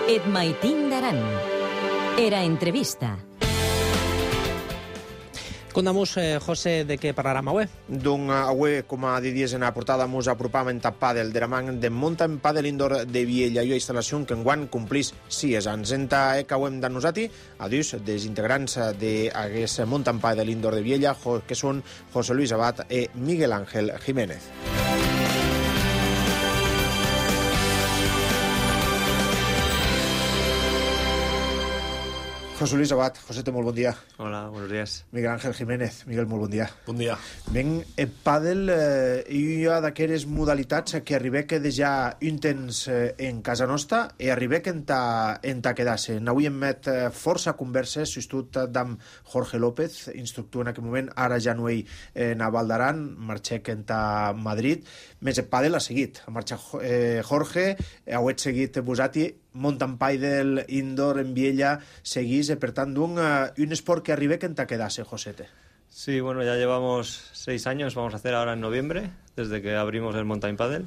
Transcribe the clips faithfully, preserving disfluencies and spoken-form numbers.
Et maitín d'Aran. Era entrevista. Contamos, eh, José, de què parlarem avui? Doncs avui, com a dies en la portada, ens apropam en tap pàdel de la man de Mountain Padel Indoor de Viella, una instal·lació que enguany complís sis anys. En ta que ho hem de nosaltres, adius dels integrants d'aquest Mountain Padel Indoor de Viella, que són José Luis Abad i Miguel Ángel Jiménez. José Luis Abad, José, molt bon dia. Hola, buenos días. Miguel Ángel Jiménez, Miguel, molt bon dia. Bon dia. Ben, el pàdel eh, hi ha d'aquelles modalitats que arriba que ja un temps eh, en casa nostra i arriba que en ta, en ta quedar-se. Avui hem met eh, força converses, substitut d'am Jorge López, instructor en aquell moment, ara ja no ell en a Val d'Aran, marxec en ta Madrid, més el pàdel ha seguit. Ha marxat eh, Jorge, heu seguit vosaltres, Mountain Padel Indoor en Viella seguís, per tant, un, uh, un esport que arriba que en te quedase, Josete. Sí, bueno, ya llevamos seis años, vamos a hacer ahora en noviembre, desde que abrimos el Mountain Padel,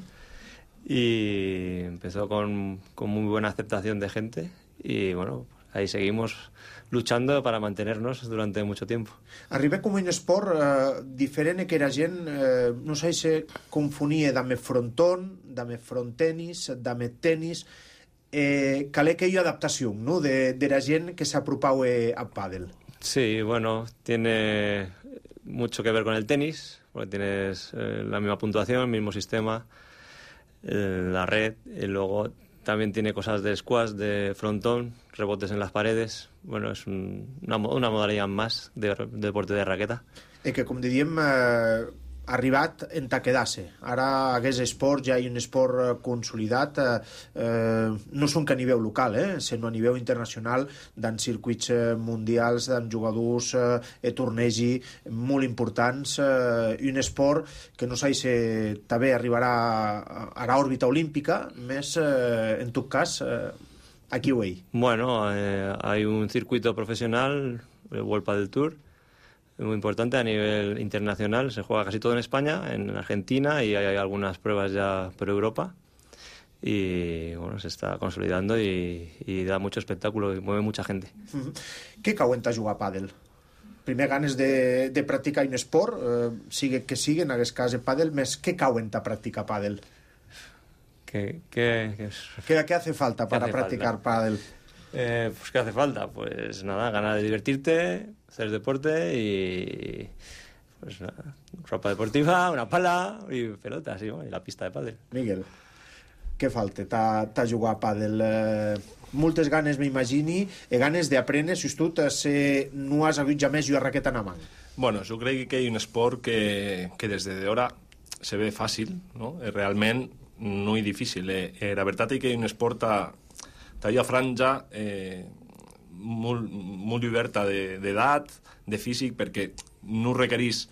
y empezó con, con muy buena aceptación de gente, y bueno, ahí seguimos luchando para mantenernos durante mucho tiempo. Arriba com un esport eh, diferent que la gent, eh, no sé si se confonia d'ame frontón, d'ame frontenis, d'ame tenis. Eh, calé que hi ha adaptació, ¿no?, de, de la gent que s'apropau eh, al pàdel. Sí, bueno, tiene mucho que ver con el tenis, porque tienes eh, la misma puntuación, el mismo sistema, eh, la red, y luego también tiene cosas de squash, de frontón, rebotes en las paredes. Bueno, es un, una, una modalidad más de, de deporte de raqueta. I que, com diríem, eh, arribat en ta quedar-se. Ara aquest esport ja hi ha un esport consolidat, eh, eh, no són que a nivell local, eh, sinó a nivell internacional, d'en circuits mundials, d'en jugadors eh, tornegi molt importants, eh, un esport que no sé si també arribarà a l'òrbita olímpica, més eh, en tot cas eh, aquí ho hi. Bueno, eh, hay un circuito profesional, el World Padel Tour, muy importante a nivel internacional, se juega casi todo en España, en Argentina, y hay algunas pruebas ya por Europa, y bueno, se está consolidando y, y da mucho espectáculo y mueve mucha gente. Mm-hmm. Què cauen a jugar a pàdel? Primer ganes de, de practicar un esport, eh, sigue que sigue, en aquest cas de pàdel, més què cauen a practicar pàdel? ¿Qué, qué, qué, ¿Qué, ¿Qué hace falta para hace practicar falta? pádel? Eh, pues ¿qué hace falta? Pues nada, ganas de divertirte, hacer deporte y pues nada, ropa deportiva, una pala y pelotas, ¿sí? Y la pista de pádel. Miguel, què falta? T'ha jugat a pàdel? Eh, moltes ganes, m'imagini, i ganes d'aprendre, si tu se, no has hagut jamais jugar raqueta en la mà. Bueno, jo crec que hi ha un esport que, que des de d'hora se ve fàcil, no? Realment no és difícil. Eh? La veritat és que hi ha un esport a talla franja eh, molt, molt oberta d'edat, de, de físic, perquè no requereix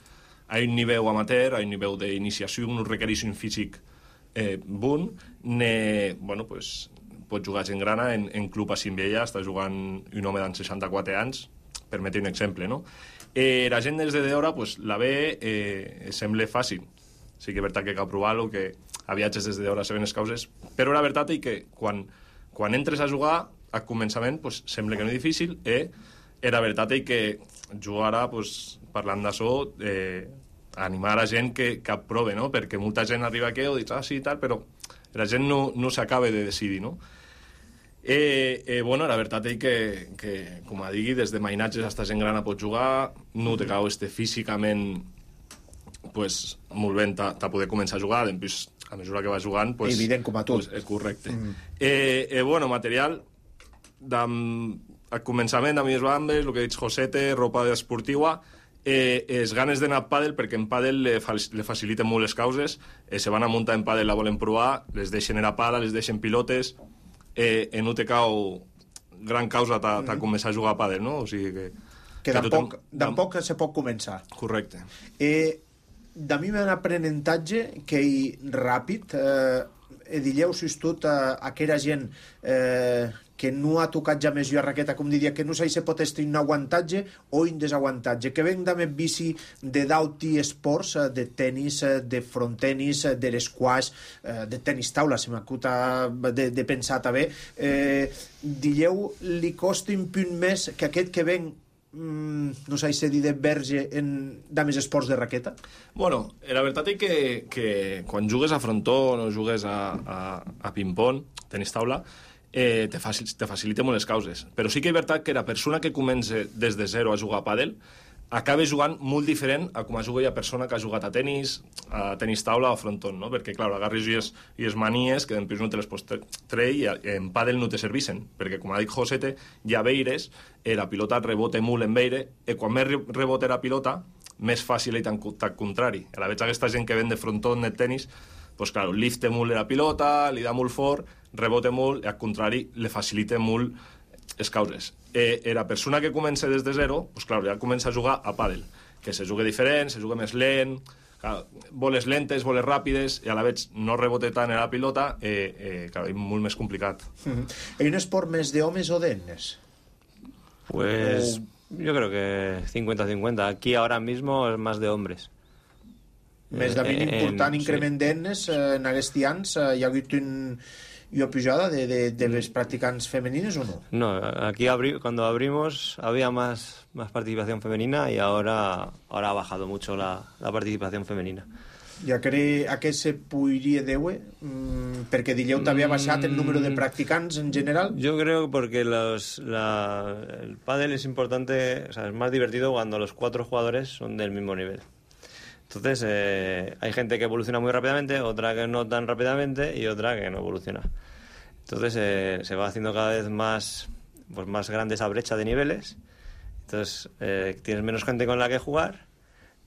a un nivell amateur, a un nivell d'iniciació, no requereix un físic eh, bon, ne, bueno, pues, pot jugar gent grana en, en club a Cimbella, està jugant un home d'en seixanta-quatre anys, per metre un exemple, no? Eh, la gent des de d'hora pues, la ve, eh, sembla fàcil, sí que és veritat que cal provar-lo, que a viatges des d'hora se ven les causes, però la veritat és que quan quan entres a jugar, al començament, pues, sembla que no és difícil, eh? I la veritat és que jugar ara, pues, parlant d'això, eh, animar a gent que, que aprove, no? Perquè molta gent arriba aquí i dius, ah, sí, tal, però la gent no, no s'acaba de decidir, no? Eh, eh, bueno, la veritat és que, que com a digui, des de mainatges hasta gent grana pot jugar, no te cau este físicament pues, molt bé a poder començar a jugar, després a mesura que va jugant... Pues, evident com a tu. Pues, és correcte. Mm. Eh, eh, bueno, material, al començament, a mi es bambes, el que he dit Josete, ropa esportiva, eh, es ganes d'anar a pàdel, perquè en pàdel le, fa, le faciliten molt les causes, eh, se van a muntar en pàdel, la volen provar, les deixen a pala, les deixen pilotes, eh, eh, no te cau gran causa ta, ta mm. començar a jugar a pàdel, no? O sigui que... Que, que tampoc, tampoc se pot començar. Correcte. Eh... De mi un aprenentatge que hi ràpid, eh, eh, dilleu, si és tot, eh, aquella gent eh, que no ha tocat ja més jo a raqueta, com diria, que no sé si pot estar un aguantatge o un desaguantatge, que venc d'ame bici de d'alti esports, eh, de tenis, eh, de frontenis, eh, de l'esquash, eh, de tenis taula, si m'acuta de, de pensar també, eh, dilleu, li costa un punt més que aquest que venc Mm, no sé si dir de verge en dames esports de raqueta? Bueno, la veritat és que, que quan jugues a frontó o jugues a, a, a ping-pong, tenis taula, eh, te, facil, te facilita molt les causes. Però sí que és veritat que la persona que comença des de zero a jugar a pàdel acaba jugant molt diferent a com a juga la persona que ha jugat a tenis, a tenis taula o a frontó, no? Perquè, clar, agarres i les, i les manies que després no te les pots treure i en pàdel no te servissen, perquè, com ha dit Josete, ja veires, eh, la pilota rebota molt en veire, i quan més rebota la pilota, més fàcil és tan contrari. A la veig aquesta gent que ven de frontó en el tenis, pues, clar, lifta molt la pilota, li da molt fort, rebota molt, i al contrari, le facilita molt les causes. Eh, la persona que comença des de zero, pues, clar, ja comença a jugar a pàdel, que se juga diferent, se juga més lent, clar, boles lentes, boles ràpides, i a la vegada no rebota tant a la pilota, eh, eh, clar, és molt més complicat. Mm-hmm. ¿Hay un esport més d'homes o d'ennes? Pues o... yo creo que cincuenta cincuenta. Aquí ahora mismo es más de hombres. Més de ben important en, increment sí. d'ennes, eh, en aquests anys, eh, hi ha hagut un... ¿Y pujada de, de, de los practicantes femeninos o no? No, aquí abri cuando abrimos había más, más participación femenina y ahora, ahora ha bajado mucho la, la participación femenina. I a què, a què se podria deure? Mm, perquè dilleu també ha baixat el número de practicants en general. Yo creo porque los, la, el pádel es importante, o sea, es más divertido cuando los cuatro jugadores son del mismo nivel. Entonces, eh, hay gente que evoluciona muy rápidamente, otra que no tan rápidamente y otra que no evoluciona. Entonces, eh, se va haciendo cada vez más, pues, más grande esa brecha de niveles. Entonces, eh, tienes menos gente con la que jugar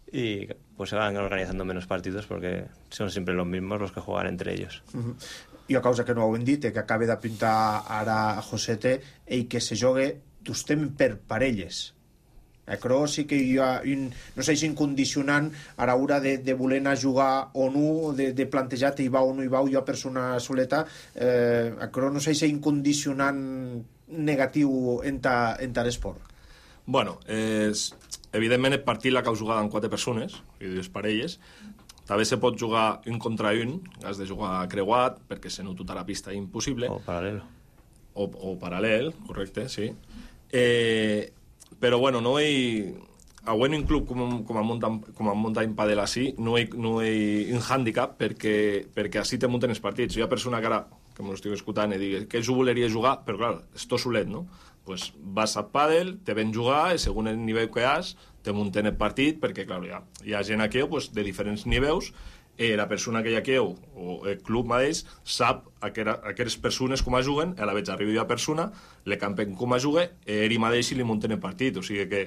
y pues se van organizando menos partidos porque son siempre los mismos los que juegan entre ellos. Uh-huh. I a causa que no ho hem dit, que acaba d'apuntar ara a Josete, i que se jogue d'estem per parelles. Però sí que hi ha un, no sé si un condicionant a l'hora de, de voler anar a jugar o no, de, de plantejar hi va o no hi va, jo persona soleta, eh, però no sé si hi ha un condicionant negatiu en ta, en ta l'esport. Bueno, és, evidentment el partit l'ha jugat amb quatre persones, i dues parelles. També se pot jugar un contra un, has de jugar creuat, perquè se no tota la pista és impossible. O paral·lel. O, o paral·lel, correcte, sí. Eh... Però, bueno, no hi... A un club com, com, a Mountain, com a Mountain Padel així, no hi, no hi un hàndicap perquè, perquè així te munten els partits. Hi ha persona que ara, que m'ho estic escoltant, i dic que jo voleria jugar, però, clar, és tot solet, no? Pues vas a pàdel, te ven jugar, i segons el nivell que has, te munten el partit, perquè, clar, hi ha, hi ha gent aquí pues, de diferents nivells, eh, la persona que hi ha aquí, o el club mateix, sap aquelles persones com a juguen, a la vegada arriba la persona, le campen com a jugue, eh, ell mateix li munten el partit, o sigui que,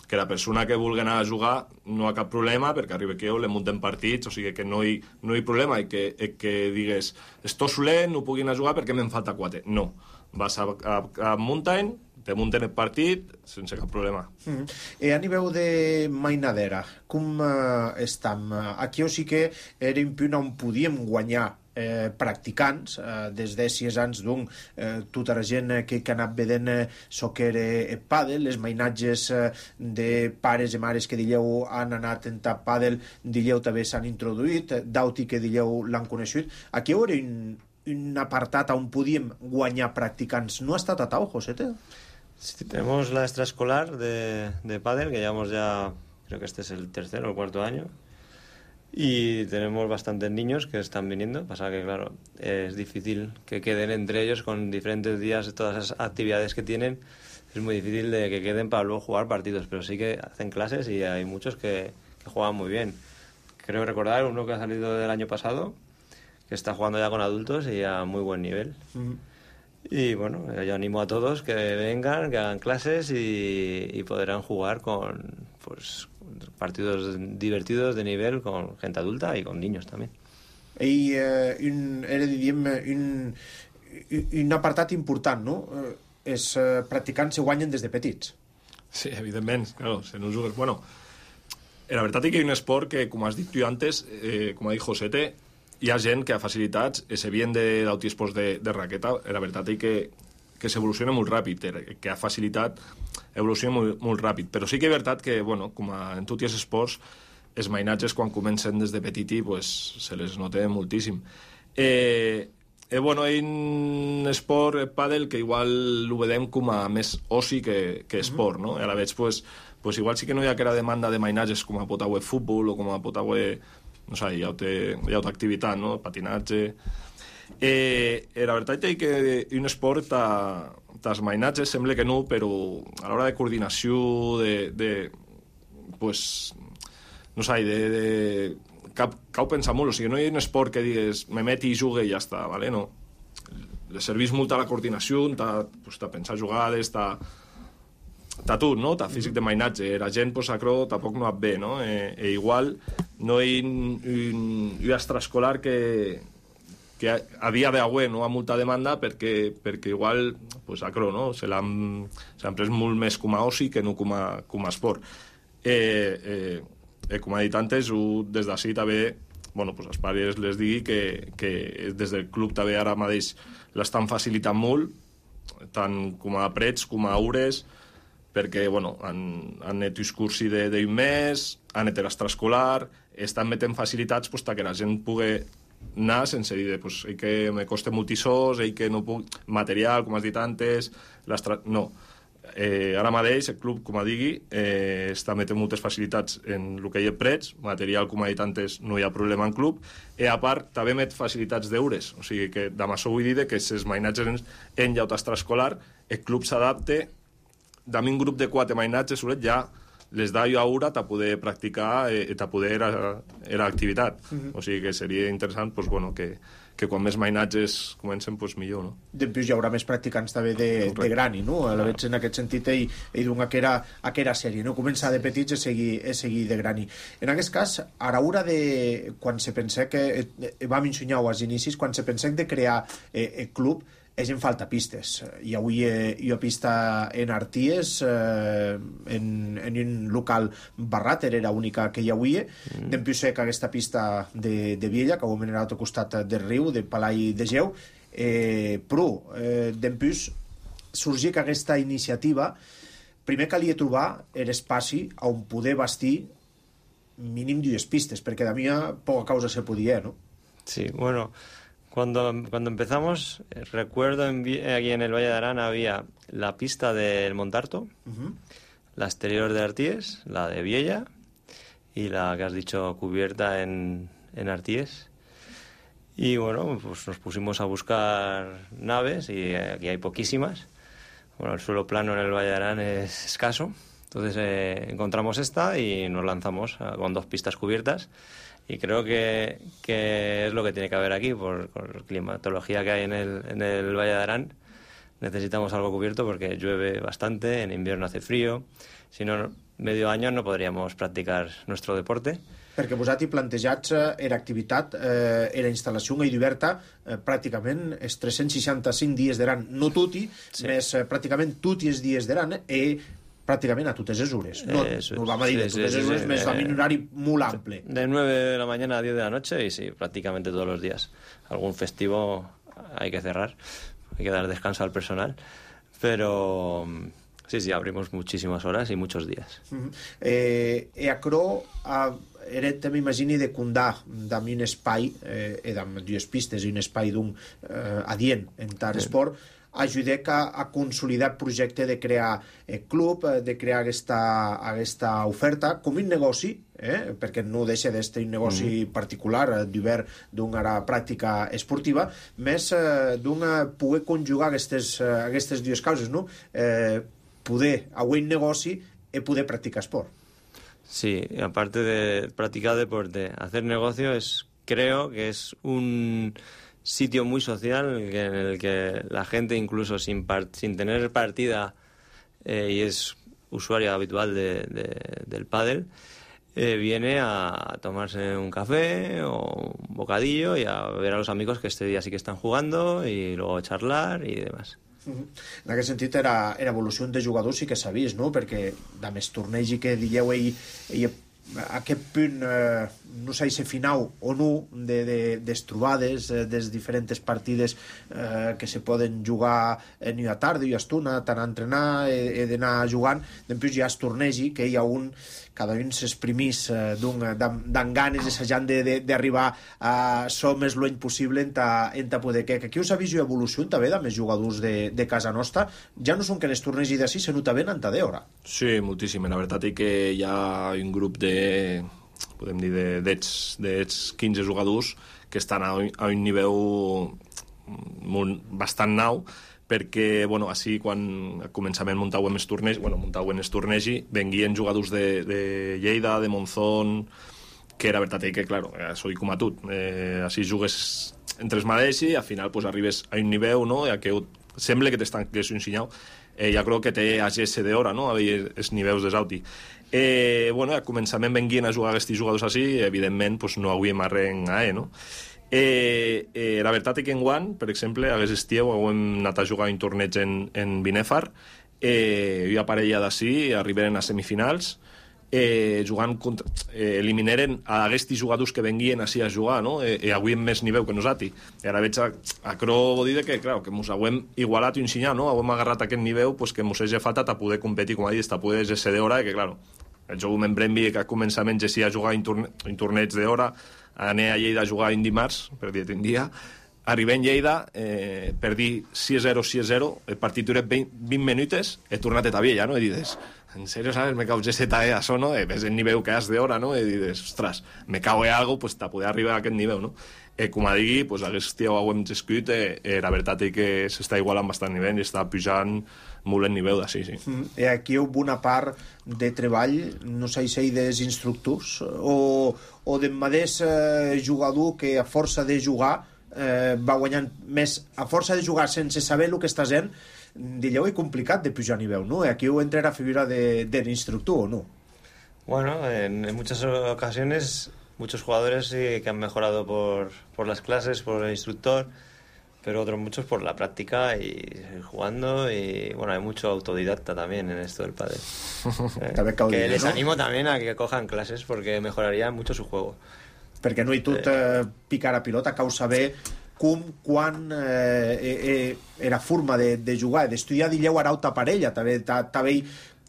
que la persona que vulgui anar a jugar no hi ha cap problema, perquè arriba aquí le munten partits, o sigui que no hi, no hi ha problema, i que, i que digues, esto solent, no puc anar a jugar perquè me'n falta quatre. No, vas a, a, a Mountain, te munten el partit sense cap problema. Mm. I a nivell de mainadera, com uh, estem? Aquí o sí que era un punt on podíem guanyar eh, practicants, eh, des de sis anys, doncs, eh, tota la gent que, que ha anat vedent eh, soccer eh, pàdel, les mainatges eh, de pares i mares que dilleu han anat en tap pàdel, dilleu també s'han introduït, d'auti que dilleu l'han conegut. Aquí hi hauria un, un apartat on podíem guanyar practicants. No ha estat a tau, Josete? Sí, tenemos la extraescolar de, de pádel, que llevamos ya, creo que este es el tercer o el cuarto año, y tenemos bastantes niños que están viniendo. Pasa que, claro, es difícil que queden entre ellos con diferentes días, todas esas actividades que tienen, es muy difícil de que queden para luego jugar partidos, pero sí que hacen clases y hay muchos que, que juegan muy bien. Creo recordar uno que ha salido del año pasado, que está jugando ya con adultos y a muy buen nivel. Mm. Y bueno, yo animo a todos que vengan, que hagan clases y, y podrán jugar con pues partidos divertidos de nivel con gente adulta y con niños también. I eh, un, era, diríem, un, un apartat important, no? Eh, els eh, practicants se guanyen des de petits. Sí, evidentment, claro, se no jugues... Bueno, la veritat és que hi ha un esport que, com has dit tu antes, eh, com ha dit Josete, hi ha gent que ha facilitats, eh, se vien d'autiesports de, de raqueta, la veritat és que, que s'evoluciona molt ràpid, que ha facilitat evoluciona molt, molt ràpid, però sí que és veritat que, bueno, com a, en tots els esports, els mainatges quan comencen des de petiti pues, se les nota moltíssim. Eh, eh, bueno, hi ha un esport, el pàdel, que igual ho vedem com a més oci que, que esport, no? I a la veig, pues, pues igual sí que no hi ha aquella demanda de mainatges com a pot haver futbol o com a pot haver, no sé, hi ha altra activitat, no? Patinatge. Eh, la veritat és que un esport dels mainatges sembla que no, però a l'hora de coordinació, de, de pues, no sé, de, de cal, cal pensar molt, o sigui, no hi ha un esport que digues me meti i jugue i ja està, ¿vale? No. Le serveix molt a la coordinació, t'ha pues, pensar jugades, t'ha t'ha tot, no? T'ha físic de mainatge, la gent pues, acro tampoc no et ve, no? Eh, e igual no hi ha un, un, un extraescolar que, que a, a dia d'avui no ha molta demanda perquè, perquè igual pues, acro, no? Se l'han pres molt més com a oci que no com a, com a esport. Eh, eh, eh, com ha dit antes, des d'ací també, bueno, pues, els pares les digui que, que des del club també ara mateix l'estan facilitant molt, tant com a prets com a hores, perquè bueno, han, han net un cursi d'un mes, han net l'extraescolar, estan metent facilitats pues, que la gent pugui anar sense dir pues, que me costa moltissos, que no puc... material, com has dit antes, no. Eh, ara mateix el club, com a digui, eh, està metent moltes facilitats en el que hi ha prets, material, com ha dit antes, no hi ha problema en club, i a part també met facilitats d'eures, o sigui que amb això vull dir que si els mainatges en, en llaut extraescolar, el club s'adapte d'ami un grup de quatre mainatges, ja les da jo a hora a poder practicar i a poder era activitat. Uh-huh. O sigui que seria interessant pues, bueno, que, que quan més mainatges comencen, pues, millor. No? Després hi haurà més practicants també de, de grani, no? A la veig en aquest sentit ell, ell d'un aquera, aquera sèrie, no? Començar de petits i seguir, i seguir de grani. En aquest cas, a l'hora de... quan se pensa que... Eh, vam ensenyar als inicis, quan se pensa de crear eh, el club, és en falta pistes. I avui eh, hi ha pista en Arties, eh, en, en un local barrat, era l'única que hi havia. Mm. Dempuix que aquesta pista de, de Viella, que ho hem anat al costat del riu, de Palai de Geu, eh, però eh, dempuix sorgir que aquesta iniciativa primer calia trobar l'espai on poder bastir mínim dues pistes, perquè de mi poca causa se podia, no? Sí, bueno... Cuando, cuando empezamos, recuerdo en, aquí en el Valle de Arán había la pista del Montarto, uh-huh. la exterior de Arties, la de Viella y la que has dicho cubierta en, en Arties. Y bueno, pues nos pusimos a buscar naves y aquí hay poquísimas. Bueno, el suelo plano en el Valle de Arán es escaso, entonces eh, encontramos esta y nos lanzamos a, con dos pistas cubiertas. Y creo que, que es lo que tiene que haber aquí, por, por la climatología que hay en el, en el Valle de Arán. Necesitamos algo cubierto porque llueve bastante, en invierno hace frío. Si no, medio año no podríamos practicar nuestro deporte. Perquè vosaltres plantejats era activitat, eh, era instal·lació en oberta eh, pràcticament els tres-cents seixanta-cinc dies d'Aran, no tutti, sí. més eh, pràcticament tutti els dies d'Aran, i pràcticamente a totes les hores. No, Eso, no vamos a decir sí, a totes les sí, hores, sí, més sí. un horari muy amplio. De nueve de la mañana a diez de la noche y sí, prácticamente todos los días. Algún festivo hay que cerrar, hay que dar descanso al personal, pero sí, sí, abrimos muchísimas horas y muchos días. Uh-huh. Eh, e acro a, era, també imagini de condar d'ami un espai, eh, e d'ami dues pistes i un espai d'un eh, adient en tal sí. esport, ajudar a, a consolidar el projecte de crear el club, de crear aquesta, aquesta oferta com un negoci, eh? perquè no deixa d'estar un negoci mm. particular d'obert d'una pràctica esportiva, més eh, d'un poder conjugar aquestes, aquestes dues causes, no? Eh, poder haver un negoci i poder practicar esport. Sí, aparte de practicar deporte, hacer negocio es, creo que es un sitio muy social en el que la gente incluso sin, part, sin tener partida eh, y es usuario habitual de, de, del pádel, eh, viene a tomarse un café o un bocadillo y a ver a los amigos que este día sí que están jugando y luego charlar y demás. En aquest sentit era, era evolució de jugadors sí que sabies, no? Perquè de més torneig i que dieu ell, ell aquest punt, eh, no sé si final o no, de, de, des trobades, eh, des diferents partides eh, que se poden jugar en una tarda i una estona, tant a entrenar, he, he d'anar jugant, després ja es tornegi, que hi ha un, cada un s'exprimís eh, d'en ganes, assajant d'arribar a ser més lluny possible en ta, en ta poder que, que aquí us ha vist evolució també de més jugadors de, de casa nostra, ja no són que es tornegi d'ací, se nota ben en ta d'hora. Sí, moltíssim, la veritat és que hi ha un grup de podem dir d'ets quinze jugadors que estan a un, a un nivell molt, bastant nou, perquè, bueno, així quan al començament muntàvem els tornejos, bueno, muntàvem els tornejos, venguien jugadors de, de Lleida, de Monzón, que la veritat és que, claro, soy com a tu, eh, així jugues entre els mateixos i al final pues, arribes a un nivell, no?, que sembla que t'estan que és un senyal, eh, ja crec que té a G S d'hora, no?, a veure els nivells de Sauti. Eh, bueno, al començament venguien a jugar aquests jugadors així, evidentment pues, no hauríem arren a E, no? Eh, eh, la veritat és que en Guant, per exemple, a aquest estiu hem anat a jugar un torneig en, en Binèfar, eh, una parella d'ací arribaren a semifinals, eh, jugant contra, eh, eliminaren a aquests jugadors que venguien així a jugar, no? Eh, eh, avui més nivell que nosaltres. I ara veig a, a Cro vol dir que, clar, que ens hem igualat i ensenyat, no? Hem agarrat aquest nivell pues, que ens hagi faltat a poder competir, com ha dit, a poder ser d'hora, que, clar, el joc en Bremby, que a començament ja sí a jugar un, torne un torneig d'hora, anar a Lleida a jugar un dimarts, per dir un dia, arribem a Lleida, eh, per dir sis a zero, sis a zero, el partit dura vint, vint minuts, he tornat a Tabiella, no? I dius, en sèrio, ¿sabes? Me cau G Z E a això, no? Eh, ves el nivell que has d'hora, no? I dius, ostres, me cau en algo, pues, a poder arribar a aquest nivell, no? Eh, com a digui, pues, aquest dia ho hem escrit, eh, eh, la veritat és que s'està igualant bastant nivell i està pujant molt el nivell d'ací, sí. Mm, I aquí hi ha una part de treball, no sé si dels instructors, o, o del mateix eh, jugador que a força de jugar eh, va guanyant més, a força de jugar sense saber el que està fent, dilleu és complicat de pujar a nivell, ¿no? Aquí ho entra la figura de, del instructor, ¿o no? Bueno, en, en muchas ocasiones muchos jugadores sí que han mejorado por, por las clases, por el instructor, pero otros muchos por la práctica y jugando, y bueno, hay mucho autodidacta también en esto del pádel. eh, que dir, les ¿no? animo también a que cojan clases porque mejoraría mucho su juego. Perquè no hi tot eh, picar a pilota, cau saber com, quan eh, eh, era forma de, de jugar, d'estudiar dilleu ara auta parella, també, també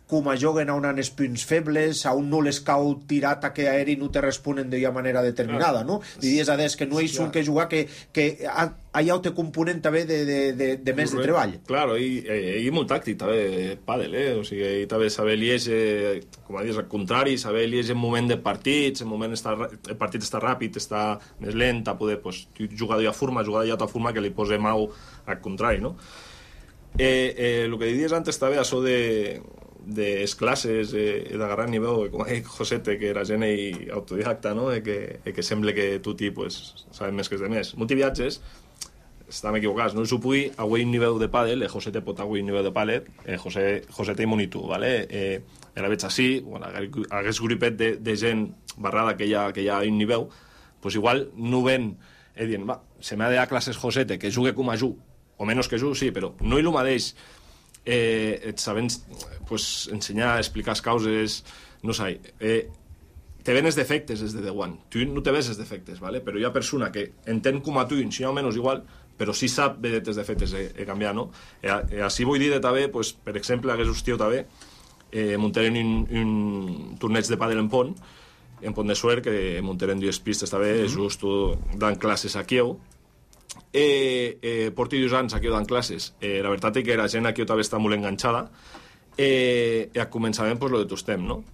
com a juguen a on han els punts febles, a un no les cau tirat a que aeri no te responen d'una manera determinada, no? Diries a des que no hi és un que jugar que, que hi ha un component també de, de, de, de més de treball. Claro, i, i, i molt tàctic també, pàdel, eh? O sigui, també saber lieger, com a dius, al contrari, saber lieger en moment de partits, en moment està, el partit està ràpid, està més lent, a poder pues, jugar d'una forma, jugar d'una forma que li posa mau al contrari, no? Eh, eh, el que diries antes també, això de de les classes, eh, d'agarrar nivell, com ha dit Josete, que era gent i autodidacta, no? Eh, que, eh, que sembla que tutti pues, saben més que els demés. Multiviatges, estem equivocats, no s'ho pugui a un nivell de pàdel, eh, Josete pot a un nivell de pàdel, eh, José, Josete i Monitu, ¿vale? Eh, la veig així, bueno, aquest grupet de, de gent barrada que hi ha, que hi ha a un nivell, pues igual no ven, eh, dient, va, se m'ha de dar classes Josete, que jugue com a ju, o menys que ju, sí, però no hi el mateix eh, et sabent pues, ensenyar, explicar les causes, no sé, eh, te ven els defectes des de The One, tu no te ves els defectes, ¿vale? Però hi ha persona que entén com a tu, ensenyar o menys igual, però sí sap bé els defectes de, de canviar, no? Eh, eh, així vull dir també, pues, per exemple, aquest hostiu també, eh, muntaren un, un torneig de pàdel en Pont, en Pont de Suert, que muntaren dues pistes també, mm -hmm. just dant classes a Kieu. Eh, eh, porti dos anys aquí dant classes, eh, la veritat és que la gent aquí també està molt enganxada, eh, i a començament pues, lo de tostem, no?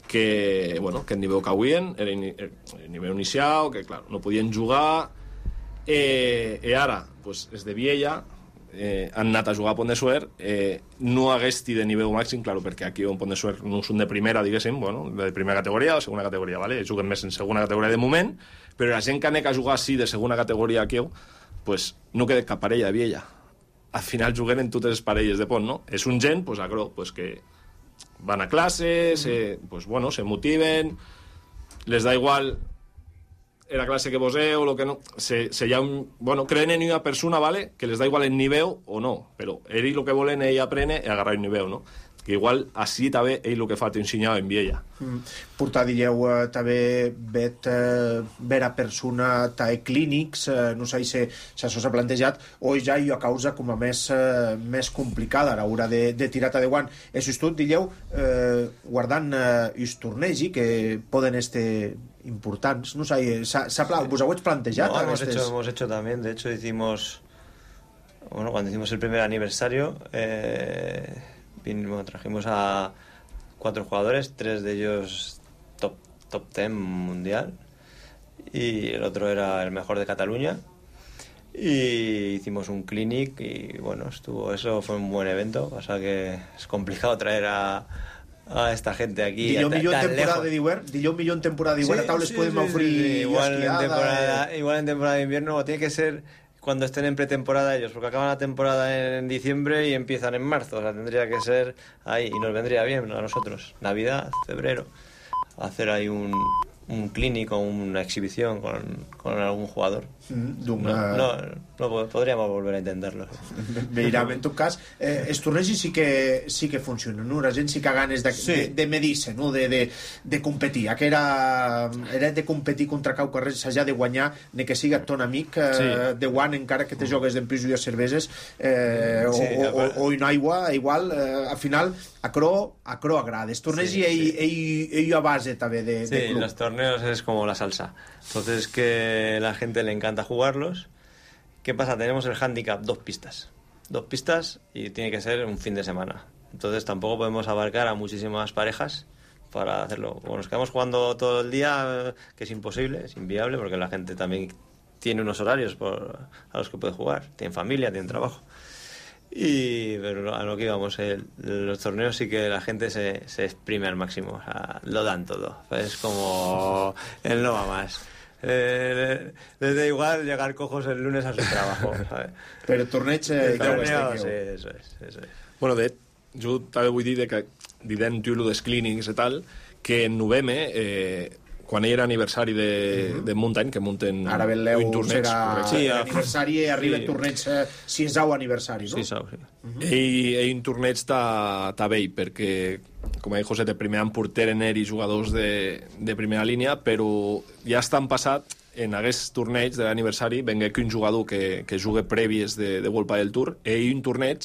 Que, bueno, que el nivell que avuen era el nivell inicial, que clar, no podien jugar, eh, i ara pues, és de Viella, eh, han anat a jugar a Pont de Suert, eh, no haguesti de nivell màxim, clar, perquè aquí en Pont de Suert no són de primera, diguéssim, bueno, de primera categoria o segona categoria, ¿vale? Juguen més en segona categoria de moment, però la gent que anem a jugar així de segona categoria aquí, pues, no queda cap parella de Viella. Al final juguen en totes les parelles de Pont, no? És un gent, pues, agro, pues, que van a classes, eh, pues, bueno, se motiven, les da igual la classe que poseu, lo que no... Se, se ha un, bueno, creen en una persona, ¿vale? Que les da igual el nivell o no, però ells el que volen ell aprene és agarrar un nivell, no? que igual així també ell el que fa t'ensenyava en Viella. Mm. Portar, dieu, eh, també vet eh, vera persona tae clínics, eh, no sé si, si això s'ha plantejat, o ja hi ha causa com a més, eh, més complicada a l'hora de, de tirar de guant. Això és tot, dieu, eh, guardant eh, els torneigs que poden estar importants, no sé, vos ho heu plantejat? No, hemos, estes... hecho, hemos hecho también, de hecho hicimos, bueno, cuando hicimos el primer aniversario, eh, vinimos, trajimos a cuatro jugadores, tres de ellos top, top ten mundial, y el otro era el mejor de Cataluña, y hicimos un clinic, y bueno, estuvo, eso fue un buen evento, pasa que es complicado traer a a esta gente aquí Dillo millor en temporada lejos. de d'hivern, dillo millor en temporada de d'hivern, Sí, a tables sí, podem sí, ofrir sí, sí. Igual, en esquiada, temporada, eh... igual en temporada de invierno, o tiene que ser cuando estén en pretemporada ellos, porque acaban la temporada en diciembre y empiezan en marzo, o sea, tendría que ser ahí, y nos vendría bien a nosotros, Navidad, febrero, hacer ahí un, un clínico, una exhibición con, con algún jugador. Mm, no, no, no, podríamos volver a intentarlo. Veurem, en tot cas, eh, els tornejos sí que, sí que funcionen, no? La gent sí que ha ganes de, sí. de, de medir-se, no? de, de, de competir. Que era, era de competir contra cau carrer, s'ha de guanyar, ni que siga ton amic eh, sí. de guant, encara que te jogues d'empris i de cerveses, eh, sí, o, o, o en aigua, igual, eh, al final, a cro, a cro agrada. Els tornejos sí, ell, sí. ell, ell a base també de, sí, de club. Los torneos es como la salsa. Entonces que la gente le encanta jugarlos. ¿Qué pasa? Tenemos el handicap, dos pistas. Dos pistas y tiene que ser un fin de semana. Entonces tampoco podemos abarcar a muchísimas parejas para hacerlo. O nos quedamos jugando todo el día, que es imposible, es inviable, porque la gente también tiene unos horarios por, a los que puede jugar. Tienen familia, tienen trabajo. Y pero a lo que íbamos, el, los torneos sí que la gente se, se exprime al máximo, o sea, lo dan todo. Es como el no va más. Eh, les da igual llegar cojos el lunes a su trabajo, ¿sabes? Pero el torneig eh, el torneo, sí, eso es, eso es. Bueno, de jo també vull dir que dient tu dels clínics i tal, que en novembre eh, quan hi era aniversari de, uh -huh. de Mountain, que munten ara Beleu un torneig, serà sí, aniversari i arriba sí. el torneig eh, si és au aniversari, no? Sí, sau, sí. Uh -huh. I, i un torneig està vell, perquè, com ha dit José, de primer any porter en eri jugadors de, de primera línia, però ja estan passat en aquest torneig de l'aniversari vengué que un jugador que, que jugue prèvies de, de World Padel Tour i un torneig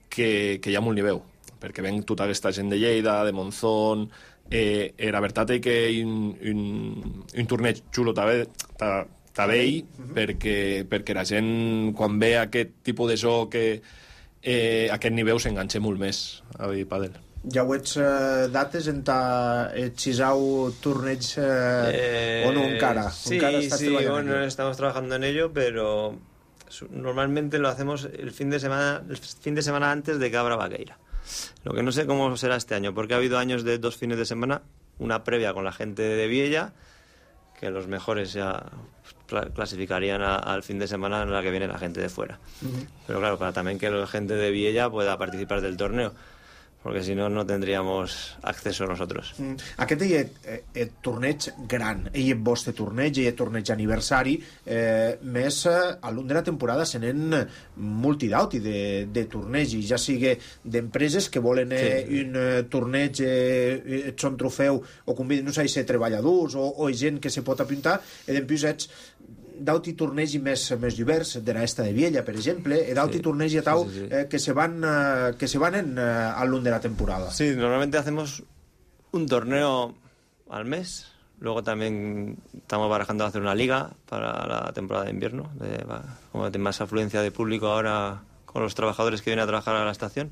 que, que hi ha molt nivell, perquè ven tota aquesta gent de Lleida, de Monzón. Eh, era veritat que un, un, un torneig xulo també ell, perquè, perquè la gent quan ve aquest tipus de joc que eh, aquest nivell s'enganxa molt més a dir pàdel. Ja ho ets eh, dates en ta xisau torneig eh, eh, o no encara? Sí, encara estàs sí, treballant bueno, en estamos trabajando en ello, pero normalmente lo hacemos el fin de semana, el fin de semana antes de que abra Vaqueira. Lo que no sé cómo será este año, porque ha habido años de dos fines de semana, una previa con la gente de Viella, que los mejores ya clasificarían a, al fin de semana en la que viene la gente de fuera. Uh-huh. Pero claro, para también que la gente de Viella pueda participar del torneo, porque si no, no tendríamos acceso nosotros. Mm. Aquest és el torneig gran, ell és vostre torneig, ell és torneig aniversari, eh, més eh, a l'un de la temporada se n'en multidauti de, de torneigs, ja sigui d'empreses que volen eh, sí. un eh, torneig, eh, et són trofeu, o conviden, no sé, ser treballadors, o, o gent que se pot apuntar, i després ets d'auti tornegi més, més divers, de l'esta de Viella, per exemple, i d'auti sí, tornegi a tau sí, sí, sí. Eh, que se van, eh, que se van en, eh, al lung de la temporada. Sí, normalmente hacemos un torneo al mes, luego también estamos barajando hacer una liga para la temporada de invierno, de, como de más afluencia de público ahora con los trabajadores que vienen a trabajar a la estación,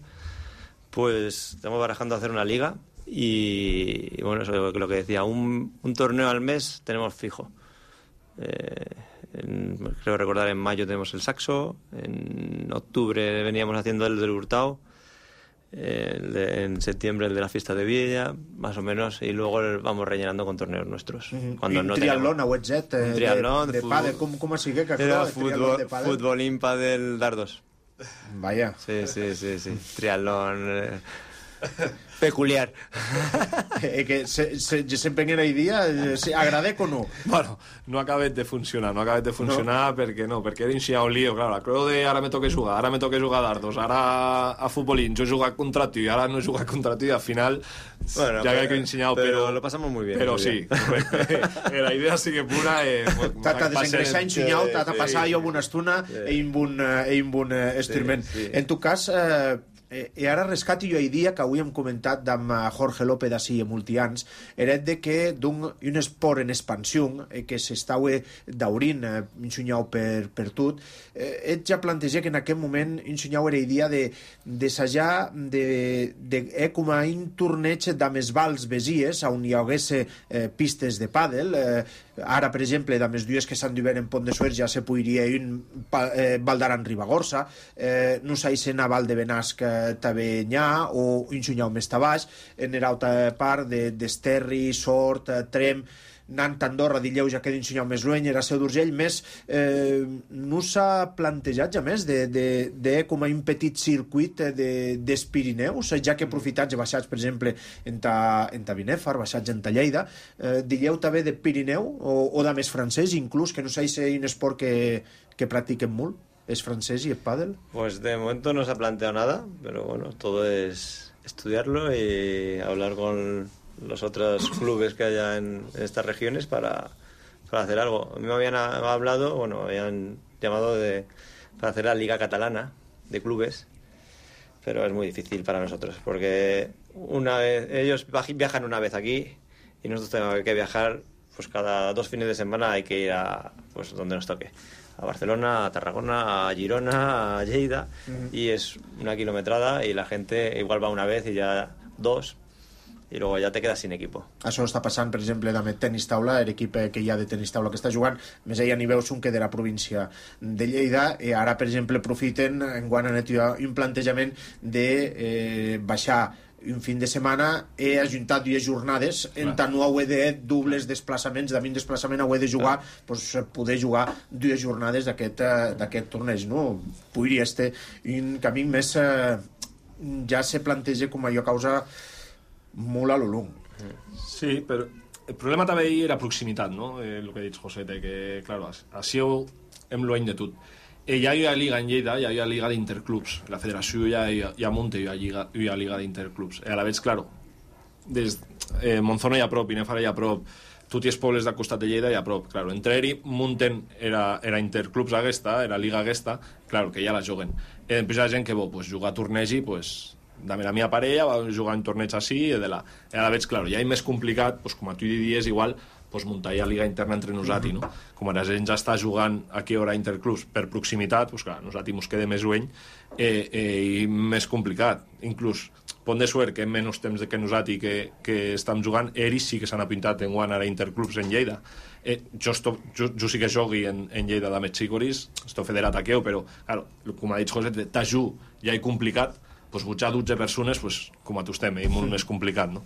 pues estamos barajando hacer una liga y, y bueno, eso es lo que decía, un, un torneo al mes tenemos fijo. Eh, en, creo recordar en mayo tenemos el Saxo, en octubre veníamos haciendo el del Hurtado, eh, el de, en septiembre el de la fiesta de Viella, más o menos, y luego el, vamos rellenando con torneos nuestros. Mm-hmm. Cuando un no triatlón a Wetjet, eh, un triatlón de, de, de pàdel, com, com sigui que era fútbol, fútbol, pàdel, dardos. Vaya. Sí, sí, sí, sí. Triatlón. Eh, peculiar. Eh, que se, se, se empenyen ahir dia, eh, se agradec o no? Bueno, no ha acabat de funcionar, no ha acabat de funcionar no. perquè no, perquè era iniciar un lío, clar, la creu de ara me toca jugar, ara me toca jugar a dardos, ara a futbolín, jo he jugat contra tu i ara no he jugat contra tu i al final bueno, ja que he enseñado, pero, pero lo pasamos muy bien. Pero muy sí, bien. la idea sí que pura eh, t'ha desengreixat ensenyau, t'ha de passar jo una estona sí. i amb un, eh, amb un eh, estirment. Sí, sí. En tu cas, eh, eh, ara rescati jo ahir dia que avui hem comentat amb Jorge López d'ací a multians, era de que d'un un esport en expansió eh, que s'estava daurint eh, ensenyau per, per tot, eh, et ja planteja que en aquest moment ensenyau era idea de d'assajar de, de, eh, com a un torneig d'amés vals besies on hi hagués eh, pistes de pàdel. eh, ara per exemple d'amés dues que s'han d'haver en Pont de Suert ja se podria un eh, Valdaran Ribagorça, eh, no s'haixen a Val de Benasc també n'hi ha, o un xunyau més baix en l'altra part de, d'Esterri, Sort, Trem, anant a Andorra, Dilleu ja queda un xunyau més lluny, era Seu d'Urgell, més eh, no s'ha plantejat ja més de, de, de com a un petit circuit de, dels Pirineus, ja que aprofitats i baixats, per exemple, en ta, en ta Binèfar, baixats en ta Lleida, eh, Dilleu també de Pirineu, o, o de més francès, inclús, que no s'ha un esport que, que practiquen molt, es francés y el pádel. Pues de momento no se ha planteado nada, pero bueno, todo es estudiarlo y hablar con los otros clubes que haya en estas regiones para, para hacer algo. A mí me habían hablado, bueno, me habían llamado de, para hacer la Liga Catalana de clubes, pero es muy difícil para nosotros, porque una vez ellos viajan una vez aquí y nosotros tenemos que viajar, pues cada dos fines de semana hay que ir a pues donde nos toque. A Barcelona, a Tarragona, a Girona, a Lleida, uh-huh. y es una kilometrada y la gente igual va una vez y ya dos, i luego ja te quedes sin equipo. Això està passant, per exemple, amb el tenis taula, l'equip que hi ha de tenis taula que està jugant, més allà n'hi veus un que de la província de Lleida, i ara, per exemple, aprofiten, enguany han fet un plantejament de eh, baixar un fin de setmana, he ajuntat dues jornades, en tant no he de dobles desplaçaments, de vint desplaçament he de jugar, doncs poder jugar dues jornades d'aquest d'aquest torneig, no? Podria ser un camí més eh, ja se planteja com allò causa molt a lo long. Sí, però el problema també era proximitat, no? Eh, el que ha dit Josete, que, claro, així hem l'any de tot. Eh, ja hi ha Liga en Lleida, ja hi ha Liga d'Interclubs. La federació ja, ja, ja munta hi ha Liga, hi ha Liga d'Interclubs. Eh, a la vegada, claro, des eh, Monzona hi ha prop, Binèfar hi ha prop, tots els pobles del costat de Lleida hi ha prop. Claro, entre ells munten, era, era Interclubs aquesta, era Liga aquesta, claro, que ja la juguen. Eh, després hi ha gent que vol pues, jugar a torneig i pues, dame la meva parella, va jugar en torneig així, i de la... I a la vegada, claro, ja és més complicat, pues, com a tu diries, igual, pues, muntar ja liga interna entre nosaltres, no? Com ara la gent ja està jugant aquí a Interclubs per proximitat, pues, clar, nosaltres ens queda més lluny eh, eh, i més complicat. Inclús, Pont de Suert, que en menys temps que nosaltres que, que estem jugant, ells sí que s'han apuntat en guany ara Interclubs en Lleida. Eh, jo, esto, jo, jo sí que jogui en, en Lleida de més xicoris, estic federat a Queu, però, claro, com ha dit José, t'ajú ja és complicat, pues, butjar dotze persones, pues, com a tu estem, és molt més complicat, no?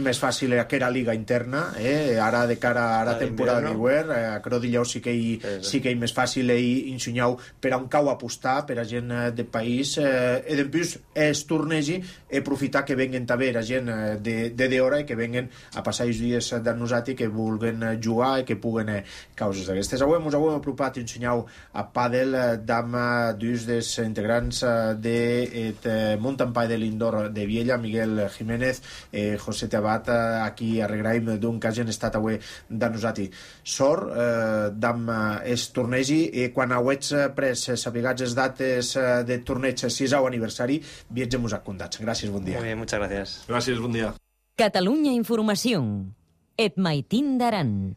Més fàcil que era liga interna, eh? Ara de cara a la temporada d'hivern, eh, a Crodilleu sí que hi, sí que hi més fàcil hi ensenyau per a un cau apostar, per a gent de país, eh, i després es tornegi i aprofitar que venguen també la gent de, de d'hora i que venguen a passar els dies de nosaltres que vulguen jugar i que puguen eh, causes d'aquestes. Avui ens hem apropat i ensenyau a pàdel d'am dos dels integrants de eh, Mountain Padel Indoor de Viella, Miguel Jiménez, eh, José Tabat, aquí a Regraim, d'un que hagin estat avui de nosaltres. Sort, eh, d'am es tornegi, i quan hauets pres sabigats les dates de torneig sisau aniversari, viatgem-vos a contats. Gràcies, bon dia. Muy bien, muchas gracias. Gràcies, bon dia. Catalunya Informació. Et Maitín d'Aran.